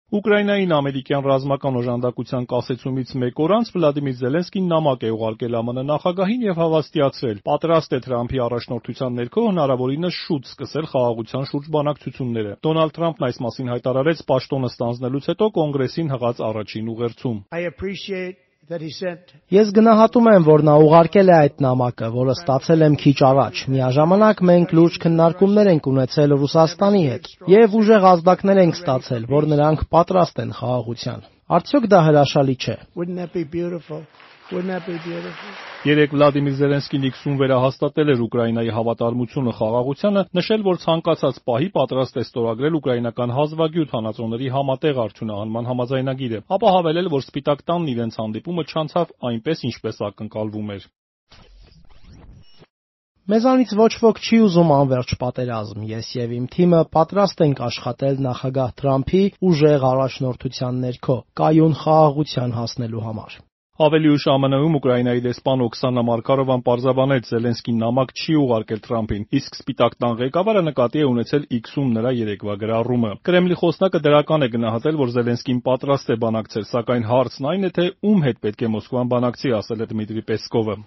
Ուկրաինային ամերիկյան ռազմական օժանդակության կասեցումից մեկ օր անց Վլադիմիր Զելենսկին նամակ է ուղարկել ԱՄՆ նախագահին եւ հավաստիացրել՝ պատրաստ է Թրամփի առաջնորդության ներքո հնարավորինս շուտ սկսել խաղաղության շուրջ բանակցությունները։ Դոնալդ Թրամփն այս մասին հայտարարեց պաշտոնը ստանձնելուց հետո Կոնգրեսին հղած առաջին ուղերձում։ Ես գնահատում եմ, որ նա ուղարկել է այդ նամակը, որը ստացել եմ քիչ առաջ։ Միաժամանակ մենք լուրջ քննարկումներ ենք ունեցել Ռուսաստանի հետ եւ ուժեղ ազդակներ ենք ստացել, որ նրանք պատրաստ են խաղաղության։ Արդյոք դա հրաշալի չէ։ Երեկ Վլադիմիր Զելենսկին X-ում վերահաստատել էր Ուկրաինայի հավատարմությունը խաղաղությանը, նշել, որ ցանկացած պահի պատրաստ է ստորագրել ուկրաինական հազվագյուտ հանածոների համատեղ արդյունահանման համաձայնագիրը, ապա հավելել, որ Սպիտակ տանն իրենց հանդիպումը չանցավ այնպես, ինչպես ակնկալվում էր։ Մեզանից ոչ ոք չի ուզում անվերջ պատերազմ։ Ես եւ իմ թիմը պատրաստ ենք աշխատել նախագահ Թրամփի ուժեղ առաջնորդության ներքո կայուն խաղաղության հասնելու համար։ Ավելի ուշ ԱՄՆ-ում Ուկրաինայի դեսպան Օքսանա Մարկարովան պարզաբանեց՝ Զելենսկին նամակ չի ուղարկել Թրամփին, իսկ Սպիտակ տան ղեկավարը նկատի է ունեցել X-ում նրա երեկվա գրառումը։ Կրեմլի խոսնակը դրական է գնահատել, որ Զելենսկին պատրաստ է բանակցել, սակայն հարցն այն է, թե ում հետ պետք է Մոսկվան բանակցի, ասել է Դմիտրի Պեսկովը։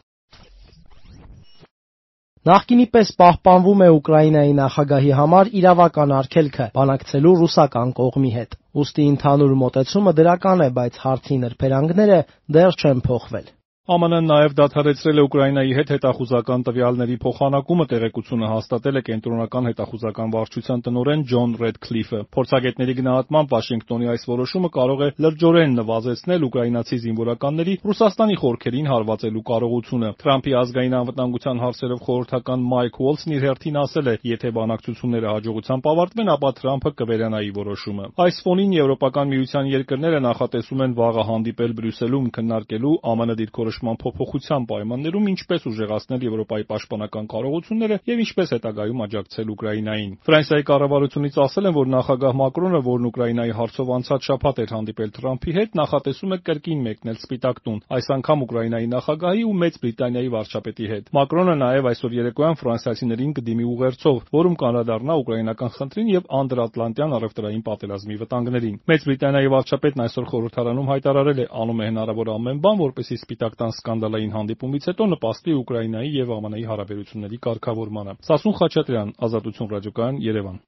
Նախկինի պես պահպանվում է Ուկրաինայի նախագահի համար իրավական արգելքը բանակցելու ռուսական կողմի հետ։ Ուստի ընդհանուր մոտեցումը դրական է, բայց հարցի նրբերանգները դեռ չեն փոխվել։ ԱՄՆ-ն նաև դադարեցրել է Ուկրաինայի հետ հետախուզական տվյալների փոխանակումը, տեղեկությունը հաստատել է Կենտրոնական հետախուզական վարչության տնօրեն Ջոն Ռեդքլիֆը։ Փորձագետների գնահատմամբ Վաշինգտոնի այս որոշումը կարող է լրջորեն նվազեցնել ուկրաինացի զինվորականների Ռուսաստանի խորքերին հարվածելու կարողությունը։ Թրամփի ազգային անվտանգության հարցերով խորհրդական Մայք Ուոլսն իր հերթին ասել է, եթե բանակցությունները հաջողությամբ ավարտվեն, ապա Թրամփը կվերանայի որոշումը։ Այս ֆոնին Եվրոպական միության երկրները նախատեսում են վաղը հանդիպել Բրյուսելում քննարկելու ԱՄՆ դիրքորոշման փոփոխության պայմաններում ինչպես ուժեղացնել Եվրոպայի պաշտպանական կարողությունները եւ ինչպես հետագայում աջակցել Ուկրաինային։ Ֆրանսիայի կառավարությունից ասել են, որ նախագահ Մակրոնը, որն Ուկրաինայի հարցով անցած շաբաթ էր հանդիպել Թրամփի հետ, նախատեսում է կրկին մեկնել Սպիտակ տուն, այս անգամ Ուկրաինայի նախագահի ու Մեծ Բրիտանիայի վարչապետի հետ։ Մակրոնը նաեւ այսօր երեկոյան ֆրանսիացիներին կդիմի ուղերձով, որում կանդրադառնա ուկրաինական խնդրին եւ անդրատլանտյան առևտրային պատերազմի վտանգներին։ Մեծ Բրիտանիայի վարչապետն այսօր խորհրդարանում հայտարարել է, անում է հնարավոր ամեն բան, որպեսզի Սպիտակ տան սկանդալային հանդիպումից հետո նպաստի Ուկրաինայի եւ ԱՄՆ-ի հարաբերությունների կարգավորմանը։ Սասուն Խաչատրյան, Ազատություն ռադիոկայան, Երևան։